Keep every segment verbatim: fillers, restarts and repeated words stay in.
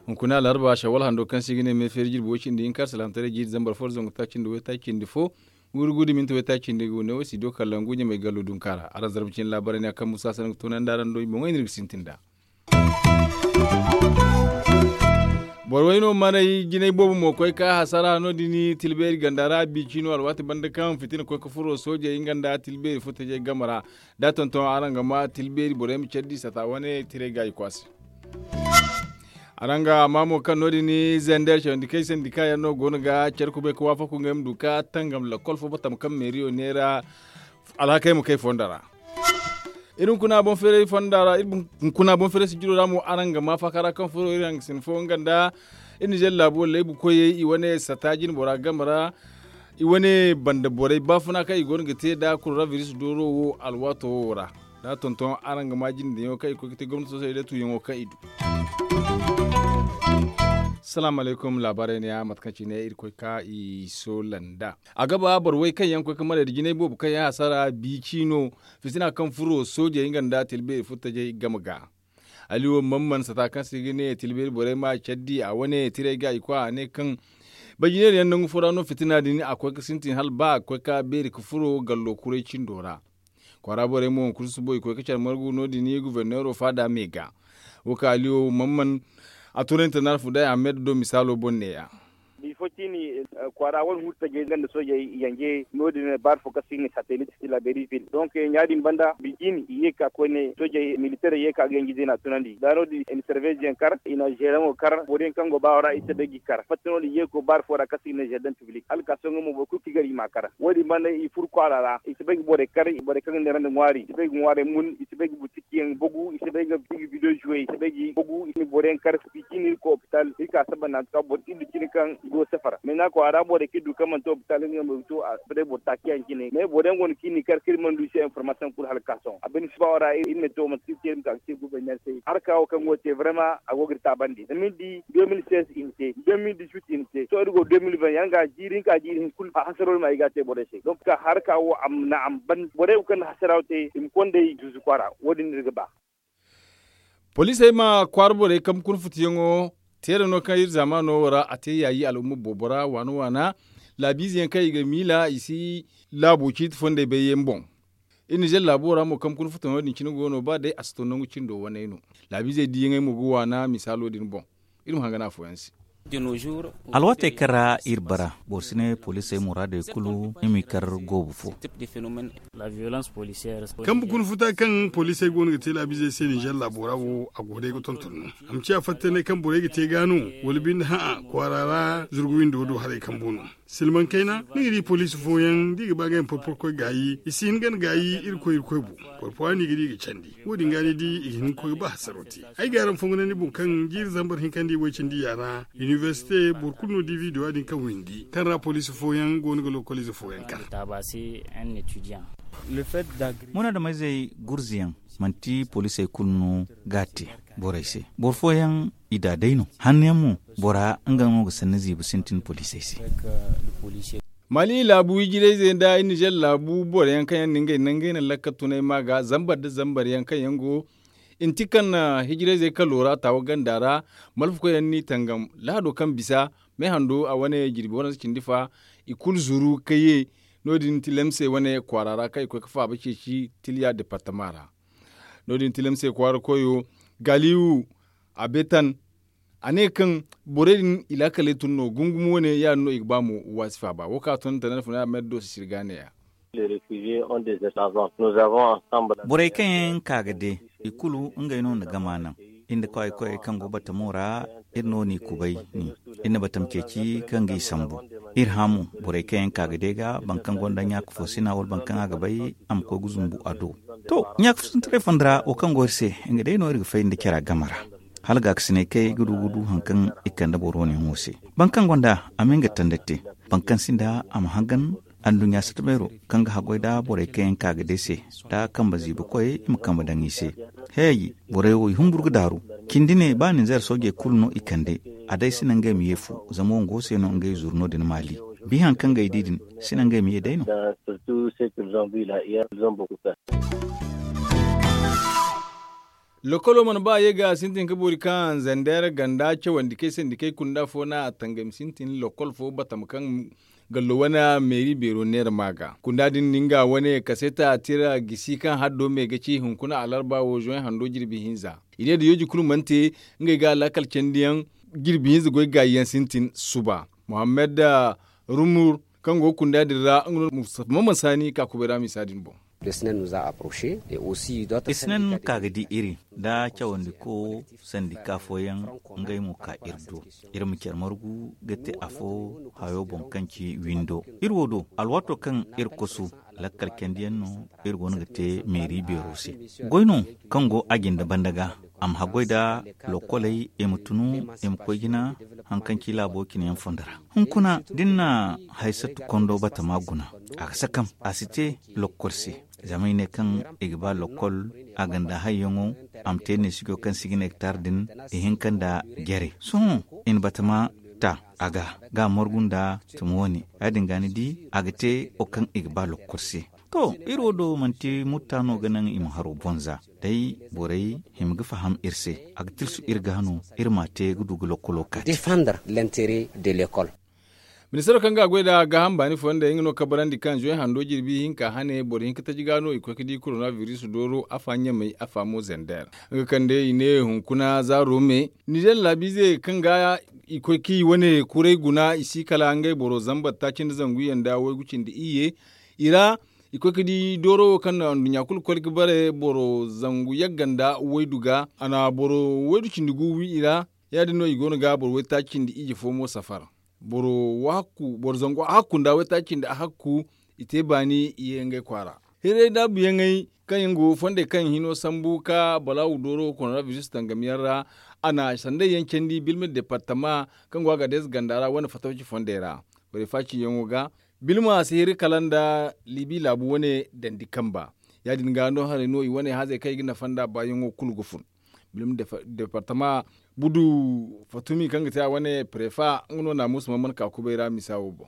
Hunkuna alarba shawal hando kaŋ se i ga ne meefeeri jirbi way cindi hinka salaamataray jiiri zambar fo da zangu taaci nda way taaci nda fo, guuru guuru da minti way taaci nda gu ne wo si do kala ngu ɲamay gallo dunka ra araŋ zarma cine laabaray ne a kaŋ musa sanda ga toonandi araŋ do i boŋey no iri ga sintin nd'a. Boro way no manay jinay boobo mo koy ka hasara no- din tilbeeri ganda ra biici no alwaati banda kaŋ fitina koy ka furo soojey nga nda tilbeeri furtajey game ra. Da tonton araŋ ga ma tilbeeri borey ma care di sata wane tiray ga i kwaasi. Araŋ ga a ma mo kaŋ no- din zender cawandi kay sandika yaŋ no go no ga care kubay ka waafaku ngey ma du ka tangam lakkol fo batam kaŋ meeriyo neera alhakey ma kay fondo ra. Iri hunkuna boŋ feeray fonda ra iri hunkuna boŋ feeray sijiro ra mo araŋ ga ma faaka ra kaŋ furo iri hangasin fo nga nda iri nizer laabo laybu koyey i wane sata jine bora game ra. I wane banda borey baafuna kaŋ i go no ga te nda koronabiris dooro wo alwaato wo ra. Da tonton araŋ ga ma jinde yaŋo kaŋ i koy ga te gomnati soosey day tuuyaŋo kaŋ i du. Salaamu alaykum laabaarey ne ya mate kaŋ cine iri koy ka i soola nd'a. A ga ba boro way kaŋ yaŋ koy ga marey nda jinay boobo kaŋ yaŋ hasara biici no. Fitina kaŋ furo soojey nga nda tilbeeri furtajey game ga. Aliwo mamman sata kaŋ se i ga ne tilbeeri borey ma care di a wane tiray ga i koy a ne kaŋ bajineeri yaŋ nangu fo ra no fitina din a koy ga sintin hala ba a ga koy ga beeri ga furo gallo kuray cindo ra. Kwaara borey mo hunkuna susubo i koy ga care margu no- din guberneero faada me ga. Wo kaŋ aliwo mamman a tunay nta narfu day ahmed do misaalo boŋ ne- ya. Bifo ciini kwaara wane huru tajey nga nda soojey yanje no- din baari fo kaŋ se i ga ne satelit, tilaberi vil donk ɲa- din banda bi ciini i ye ga ka koyne soojey militeerey ye ga ka ga yanji zeena tunandi da no- din i na serveez yaŋ kar i na zeeraŋo kar boro yaŋ kaŋ go baawo ra i si bay ga i kar fatta no- din i ye ga koy baari fo ra kaŋ se i ga ne zeerdaŋ piblik hala ga ka sohõ nga mo boro kulu kaŋ i gar i m'a kar wo- din banda i furo kwaara ra i si bay ga borey kar borey kaŋ ga neerandi ŋwaari i si bay ga ŋwaarey mun i si bay ga buti yaŋ bogu i si bay ga video zuwe i si bay ga i bogu i si boro yaŋ kar i cine iri koy opital iri ka saba nangu ka boro iri du cine kaŋ i go safara me naŋ kwaara borey kaŋ iri du kaŋ manti opital iri ga no i to a si bay boro taaci yaŋ cine me boro yaŋ go no kaŋ iri n'i kar kaŋ iri mana du i se information kulu hala ga ka sohõ a bine si ba wo ra iri ne to manti kaŋ iri te iri ma ka ga te gouverneur se harka wo kaŋ go ga te vraiment a go ga iri taabandi zama iri di deux mille seize i na te deux mille dix-huit i na te sohõ iri go deux mille vingt yaŋ ga jiiri hinka jiiri hinka kulu hasaro iri ma ay ga a te borey se donc harka wo a ma naŋ a ma ban borey wo kaŋ na hasara wo te i ma konda i zuuzu kwaara wo- din no iri ga ba. Poliisey ma kwaara borey kambe kuna futiyaŋo teera no kaŋ iri zaamaano wo ra a te yaayi al'umma boobo ra waana waana laabiize yaŋ kaŋ i ga miila i si laabo ciiti fondey bay yaŋ boŋ. Iri nizer laabo ra mo kambe kuna futayaŋo din cine go no ba day a si to nangu cindo waney no. Laabiizey diiyaŋey mo ga waana misaalo din boŋ. Iri ma hangan afooyaŋ se. Alwaatey kaŋ ra iri bara boro si ne poliisey muraadey kulu i m'i kar goobu fo. Kambe kuna futa kaŋ poliisey go no ga te laabiizey se nizer laabo ra wo a go day ga tonton no a ma ciya fatta ne kaŋ borey ga te ga no wala binde hã'a kwaara ra zurgu windo do haray kambu no. Silmaŋ kayna ni ga di poliisi fooyaŋ da i ga ba ga yaŋ porporo koy gaayi i si hin gana gaayi iri koy iri koy bu. Porpora no i ga di i ga candi wo- din ga ni di i ga hin ga koy ga ba hasaro te. Ay ga araŋ fongu ne ni boŋ kaŋ jiiri zambar hinka nda i way cindi yaana inibersite boro kulu no di video ya- din kaŋ windi kaŋ ra poliisi fooyaŋ go no ga lokoliize fooyaŋ kar. Muna da mayzey gurzuyaŋ manti poliisey kulu no ga a te borey se. Boro fooyaŋ i da day no hanno yaŋ mo bora nga no ga sanni ziibi sintin poliisey se. Mali laabu ijirayzey nda nizer laabu boro yaŋ kaŋ yaŋ na ngey nangey na lakka tunay ma ga zambar nda zambar yaŋ kaŋ yaŋ go i na ti kaŋ na hijirayzey kalo ra taawa ganda ra. Malfakoy yaŋ n'i tangam lahado kaŋ bisa me hando a wane jirbi waransa cindi fa i kulu zuru ka ye. No- din tilamse wane kwaara ra kaŋ i koy ga faaba ceeci tiliya departama ra. No- din tilamse kwaara koyo galiwu a betan a ne kaŋ borey din i laakaley tun no gungumo wane ya- din no i ga ba mo waasi faaba wo kaŋ a tun nda tanar funa a ma yadda do sisiri ga ne- ya. Borey kaŋ yaŋ ka ga de i kulu ngey no na gama naŋ iri nda koy koyey kaŋ go batamo ra. Iri no n'i kubay ni iri na batam ceeci kaŋ ga i sambu. Iri hã mo borey kaŋ yaŋ ka ga de ga boro kaŋ gonda ɲaaka fo sina wala boro kaŋ a ga bay a ma koy ga zumbu a do. To ɲaaka fo sintiray fonda ra wo kaŋ go iri se nga day no iri ga fay nda cara game ra. Hala gaakasinay kay ga du ga du hari kaŋ i kande boro wane yaŋo se. Boro kaŋ gonda a ma nga tanda te boro kaŋ sinda a ma hangan. Anduɲɲa sata beero kaŋ ga haggoy nda borey kaŋ yaŋ ka ga day se nda kambe ziibi koyey i ma kambe daŋ i se. Hey borey wo i humburu ga daaru. Cindi ne ba ninzeer soojey kulu no i kande a day si naŋ ngey ma ye fu zama wo nga wo se no ngey zuru no- din maali. Bi haŋ kaŋ ga ay di din, si naŋ ga ay ma ye day no. Lokolo mana ba a ye ga a sintin ka boori kaŋ zander ganda cawandi kay sandi kay kunda fo no a tangam sintin lokol fo batama kaŋ gallo wane meeri beero neera ma ga kunda din nga wane kaseeta tira gisi kaŋ haddo me ga ci hunkuna alarba wo zoy hando jirbi hinza. I ne da yooji kulu mana te ngey ga laakal candiyaŋ jirbi hinza goy gaayi yaŋ sintin suba. Muhammad rumur kaŋ go ga kunda din ra nga no mustafa mamman saani ka kubay ra misa din boŋ. Isnan ka ga di iri nda cawandiko sandika fooyaŋ ngey mo ka iri do. Iri ma care margu ga te afo hayo boŋ kaŋ ci windo iri wo do alwaato kaŋ iri kosu lakkal candiyaŋ no iri goono ga te meeri beero se. Goy no kaŋ go a jinde banda ga a ma haggoy nda lokoley i ma tunu i ma koy jina haŋ kaŋ ci laabo cine yaŋ fondo ra. Hunkuna da ni na haysatu kondo batama guna a ga sakam a si te lokol se. Zama i ne kaŋ i ga ba lokol a ga nda hayyaŋo a ma te neesijo kaŋ si ga ne ga taara din i hinka nda jare sohõ i na batama ta a ga ga margu nda tuma wane ya- din ga ni di a ga te wo kaŋ i ga ba lokol se. To iri wo do manti mutta no ga naŋ i ma haro bonza day borey hima ga faham iri se a ga tilsu iri ga no iri ma a te ga du ga lokolo kaati. Ministaro kaŋ ga a goy nd'a gaaham baani fooyaŋ day nga no kabarandi kaŋ zoy hando jirbi hinka hane boro hinka taji ga no i koy ga di korona biris dooro afa ɲamey afa mo zander nga kaŋ day i ne hunkuna zaaro me. Nizer laabiize kaŋ ga i koy ga i wane kuray guna i si kala ngey boro zambar taaci nda zangu yaŋ nda waygu cindi iyye. I ra i koy ga di dooro wo kaŋ na nduɲɲa kulu koy ga bare boro zangu yagga nda waydu ga a na boro waydu cindi gu wi i ra. Ya- din no i go no ga boro waytaaci cindi iyye fo mo safar. Boro zangu ahakku nda waytaaci cindi ahakku i te baani i ye ngey kwaara. Hiray daabuyaŋey kaŋ yaŋ go fondey kaŋ hino sambu ka balaawu dooro korona biris tangam yaŋ ra. A na sandey yaŋ candi bilma departama kaŋ go a ga deesa ganda ra wane fatawci fondey ra. Borey faaciyaŋo ga bilma a si hiri kala nda libi laabu wane dandi kamba. Ya- din ga no haray no i wane hazey kaŋ i ga nafa nd'a baayaŋo kulu ga fun. Departama budu fatumi kaŋ ga te a wane prefa nga no naamusa mana ka kubay ra misa wo boŋ.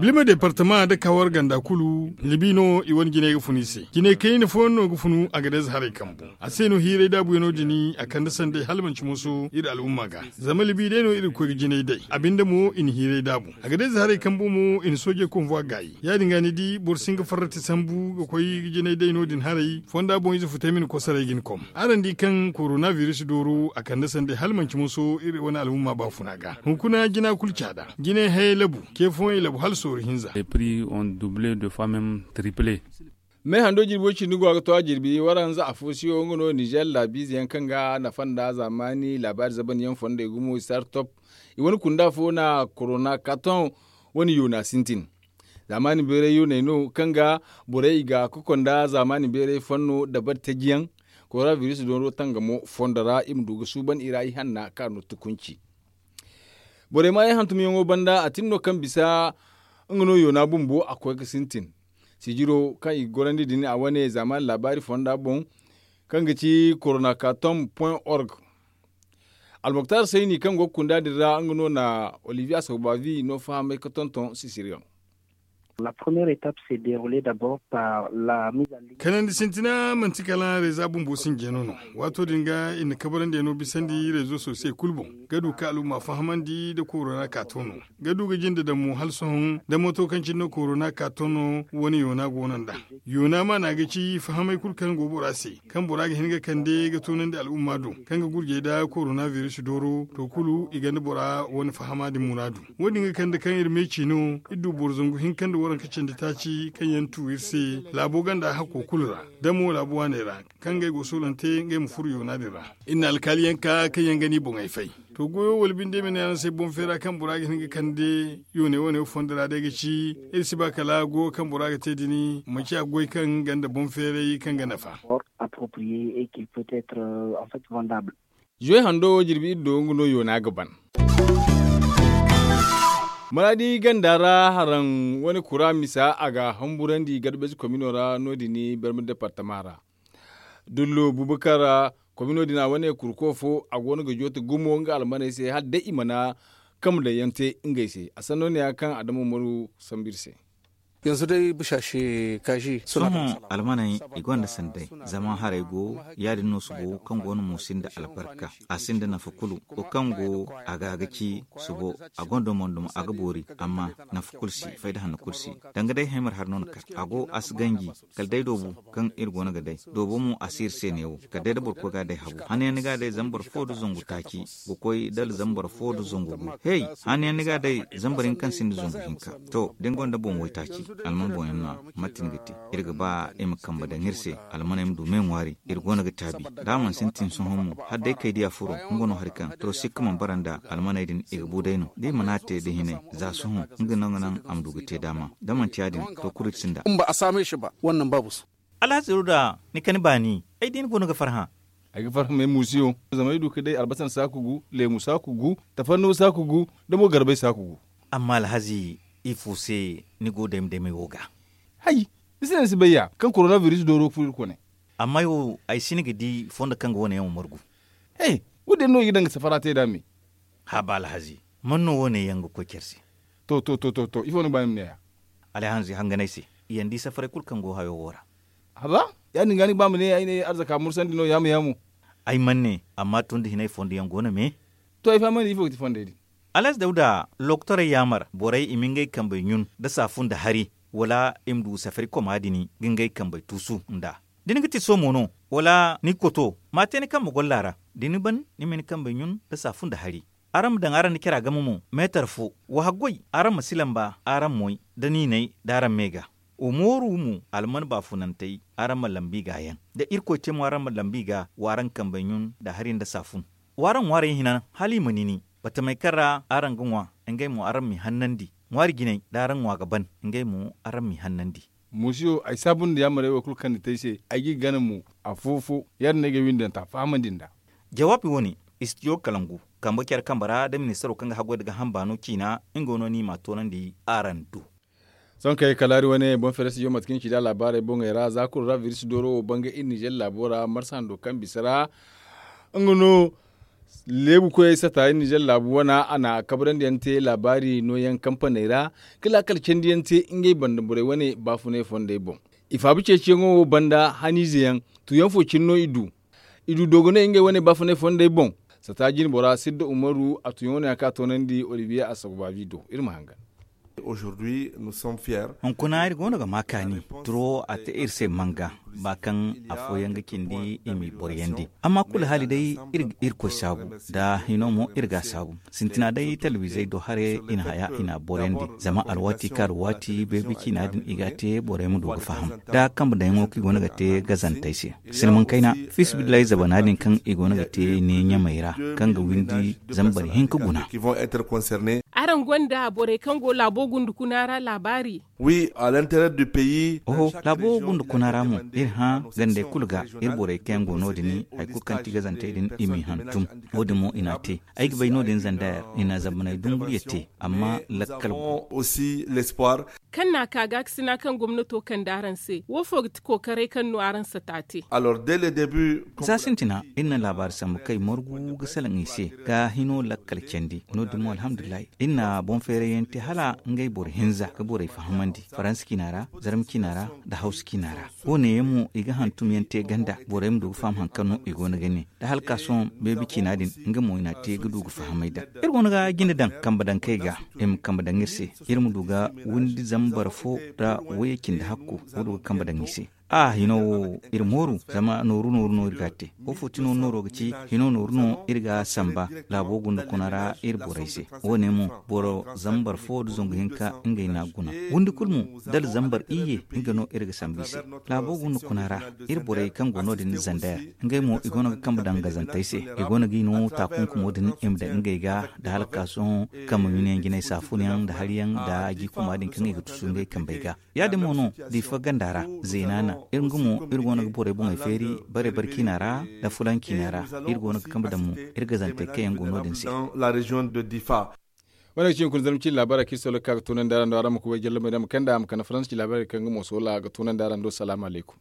Bilma departama nda kawar ganda kulu libi no i wane jinay ga funu i se jinay kayna fooyaŋ no ga funu a ga deeza haray kambu. A se no hiiray daabuyaŋo din a kande sanday hala manci moso iri al'umma ga. Zama libi day no iri ga koy ga jinay day a binde mo i na hiiray daabu a ga deeza haray kambu mo i na soojey konvwa gaayi. Ya- din ga ni di boro si hin ga farrati sambu ga koy ga jinay day no- din haray fonda boŋ ize futay ma ni kosaray ga ni kom. Araŋ di kaŋ korona biris dooro a kande sanday hala manci moso iri wane al'umma baafuna ga hunkuna jina kulu caada jinay hayey labu ce fooyaŋ i labu hala sooru hinza. Me hando jirbi way cindi go a ga to a jirbi waranza afo siyo nga no nizer laabiize yaŋ kaŋ ga nafa nda zaamaani laabaari zaban yaŋ fondey gumo i sartop. I wane kunda fo na korona katon wane yoona sintin. Zaamaani beeray yooney no kaŋ ga borey i ga koko nda zaamaani beeray fanno dabari taji yaŋ. Korona biris dooro tangamo fondo ra i ma du ga suuban i ra ihanna kaŋ a no tukunci. Borey ma ay hantumyaŋo banda a tin no kaŋ bisa nga no yoona bumbo a koy ga sintin. Sijiro kaŋ i ga gorandi din a wane zaamaani laabaari fonda boŋ kaŋ ga ci korona katom point org. Almuktar sayni kaŋ go ga kunda din ra nga no na olivier asobavi no fahamay ga tonton sisiriyaŋ. Kanandi sintina manti kala reeza bumbo sinjeno no. Waato din ga i na kabarandiyaŋo bisandi reezo sosiyey kulu boŋ ga du ka al'umma fahamandi nda korona kaato no ga du ga jinde daŋ mo hala sohõ nda moto kaŋ cine no korona kaato no wane yoona go no nd'a. Yoona maana ga ci fahamey kulu kaŋ go bora se kaŋ bora ga hin ga kande ga toonandi al'umma do kaŋ ga gurjey nda korona biris dooro to kulu i gonda bora wane fahama din muraadu. Wo- din ga kande kaŋ iri meeci no iri du boro zangu hinka nda waranka candi taaci kaŋ yaŋ tu iri se laabo ganda hakko kulu ra da mo laabu waaney ra kaŋ ngey go soolante ngey ma furo yoona din ra. Iri na alkaaliyaŋ ka kaŋ yaŋ ga ni boŋey fay. To goyo wala binde ma ne araŋ se boŋ feera kaŋ bora ga hin ga kande yooney wane fondo ra day ga ci iri si ba kala goyo kaŋ bora ga te din manci a ga goy kaŋ ganda boŋ feeray kaŋ ga nafa. Zuway hando wo jirbi iri do nga no yoona ga ban. Maraadi ganda ra haraŋ wane kura misa a ga hamburandi garbeesi komino ra no- din barma departama ra. Dullo bubakar komino din a wane kurko fo a go no ga jooti gumo nga almaney se hala day i mana Kambe daŋ yaŋ te ngey se a sanno ne ya kaŋ a dama umaru sambu iri se. Yanzu day bisa se kaazi sohõ. Almaney i gonda sanday zama haray go ya- din no subo kaŋ go no mo sinda albarka. A sinda nafa kulu wo kaŋ go a ga ga ci subo. A gonda mo duma a ga boori amma nafa kulu si fayda hanno kulu si. Danga day haymar hari no ni kar a go a si ganji. Kala day doobu kaŋ iri go no ga day doobo mo a si iri se neewo kala day da boro koy ga a day habu hanno yaŋ ni ga a day zama boro fo nda zangu taaci ga koy dala zama boro fo nda zangu gu hey. Hanno yaŋ ni ga a day zama boro hinka kaŋ sinda zangu hinka. To da ni gonda boŋ waytaaci alman boŋ yaŋ no- ya mate ni ga te. Iri ga ba i ma kambe daŋ iri se almaney ma du me ŋwaari. Iri go no ga taabi da a mana sintin sohõ mo hala day kay diya furo. Nga no hari kaŋ to sikka mana bara nda almaney din i ga bu day no da i mana a te da hinay za sohõ nga no ga naŋ a ma du ga te daama. Da manti ya- din to kulu iri sinda. Alhazi ruda ni kani baani ay di ni go no ga farhã. Ay ga farhã me muusiyo zama ay du ga day albasan saaku gu leemu saaku gu tafannuwa saaku gu da mo garbay saaku gu. Amma alhazi ifo se ni go dayma daymay wo ga? Hay, ni se no ni si bay ya kaŋ korona biris dooro ga furo iri kone. Amma ay wo ay si ni ga di fondo kaŋ ga wane yaŋ wo margu. He, wo- din no i ga daŋ ga safara te nd'a me. Haaba alhazi, man no wo- ne yaŋ ga koy care se? To to to to ifo ni ga ba ni ma ne ya? Alhazi hangan ay se, i yaŋ di safaray kulu kaŋ go hayo wo ra. Haaba, ya- din ga ni ga ba ma ne ay ne arzaka mursandi no yaamu yaamu. Ay man ne, amma tun da hinay fondo yaŋ go no me. To ay fahamandi ifo ga ti fondey din? Alhazi dawda, lokotorey yaamar borey i ma ngey kambey ɲun nda saafu nda hari, wala i ma du safari koma din ga ngey kambey tuusu nd'a? Da ni ga ti soomo no, wala ni ga koto ma a te ni kambe golla ra. Da ni ban ni ma ni kambey ɲun nda saafu nda hari. Araŋ ma daŋ araŋ nda cara game mo meetar fo. Wa haggoy araŋ ma si lamba araŋ moy, da niinay da araŋ me ga. Wa mooru mo alman baafunantey, araŋ ma lambu i ga yaŋ. Da irkoy te mo araŋ ma lambu i ga wa araŋ kambey ɲun nda hari nda saafun. Wa araŋ ŋwaarey hinan hala i ma nini. Batamey kaŋ ra araŋ ga ŋwa, ngey mo araŋ m'i hannandi. Ŋwaari jinay da araŋ ŋwa ga ban, ngey mo araŋ m'i hannandi. Muusiyo ay saabu nda yaamarey wo kulu kaŋ ni te ay se. Ay g'i gana mo afo-fo. Ya- din no ay ga ay windi daŋ ta fahamandi nd'a. Jawaabi wo- ne, istidiyo kalangu kambe care kambe ra da ministaro kaŋ ga haggoy nda ga hamba no ciina. Nga no no i m'a toonandi araŋ do. Sohõ kay kala hari wane boŋ fere studio mate kaŋ i ci nd'a laabaarey boŋey ra za kulu ra biris dooro wo banga iri nizer laabo ra marsa hando kaŋ bisa ra. Nga no leebu koyey sata iri nizer laabu wana a na kabrandi yaŋ te laabaari nooyaŋ kampaney ra. Ka laakal candi yaŋ te ngey banda borey wane baafunay fondey boŋ. I faabu ceeciyaŋo wo banda haniize yaŋ. Tuuyaŋ fo cine no i du. I du doogoney ngey wane baafunay fondey boŋ. Sata jinbora sidda umaru a tuuyaŋo no ya kaŋ a toonandi olibiye a sogobaabi do iri ma hangan. Hunkuna iri go no ga ma kaani. Turo a te iri se manga ba kaŋ afooyaŋ ga cindi i m'i boroyandi. Amma kulu haali day iri ga irkoy saabu. Nda hino mo iri ga a saabu. Sintina day talabizey do haray i na haya i n'a boroyandi. Zama alwaati kaŋ alwaati beebi ciina din i ga a te borey ma du ga faham. Nda kambe daŋyaŋo kaŋ i go no ga te gazantey se. Silmaŋ kayna fiisabilillahi zabana din kaŋ i go no ga te ne ɲamey ra, kaŋ ga windi zambar hinka guna. Araŋ gonda borey kaŋ go laabo gunda kuna ra laabaari? Oho, laabo gunda kuna ra mo iri hã gandey kulu ga. Iri borey kaŋ yaŋ go no- din hari kulu kaŋ ti gazantey din i m'i hantum. Wo- din mo i n'a te. Ay ga bay no- din zandayar i na zambaney dumburiya te. Amma lakkal go. Kaŋ n'a ka gaakasina kaŋ gomnato kande araŋ se wo fo ga ti kookaray kaŋ no araŋ sata te? Za sintina iri na laabaari sambu kaŋ ay margu ga salaŋ i se ga hino lakkal candi. No- din mo alhamdulillahi iri na boŋ feerayyaŋ te hala ngey boro hinza ga borey fahamandi faransa ciina ra, zarma ciina ra, nda hawsa ciina ra. Wo- ne yaŋ mo i ga hantum yaŋ te ganda borey ma du ga faham hari kaŋ no i go no ga ne. Da hala ka sohõ beebi ciina din nga mo i n'a te ga du ga fahamay daŋ. Iri go no ga jinde daŋ kambe daŋ kay ga i ma kambe daŋ iri se. Iri ma du ga windi zambar fo nda wayye cindi hakku ga du ga kambe daŋ i se. A hino wo iri mooru zama nooru nooru no iri ga a te. Wo fo ti nooru nooro ga ci hino nooru no iri ga a samba. Laabo gunda kuna ra iri borey se. Wo- ne mo boro zambar fo nda zangu hinka ngey n'a guna. Windi kulu mo dala zambar iyye nga no iri ga sambu i se. Laabo gunda kuna ra iri borey kaŋ go no- din zandayar. Ngey mo i go no ga kambe daŋ gazantey se. I go no g'i no taakunkumo din i ma daŋ ngey ga da hala ka sohõ kambe ɲunayaŋ jinay saafunyaŋ nda hariyaŋ nda jiikuma din kaŋ i ga tusu ngey kambey ga. Ya- din mo no diifa ganda ra, zeenaana. Iri nga mo iri go no ga borey boŋey feeri bare bare ciina ra nda fulaŋ ciina ra. Iri go no ga kambe daŋ mo iri gazantey kaŋ yaŋ go no- din se. Wane ga ci hunkuna zarma ciine laabaarey kaŋ iri solo ga ka ga toonandi araŋ do araŋ ma kubay jallabey da ma kand'a ma kande faransa ciine laabaarey kaŋ nga mo soola ga toonandi araŋ do salaamu alaykum.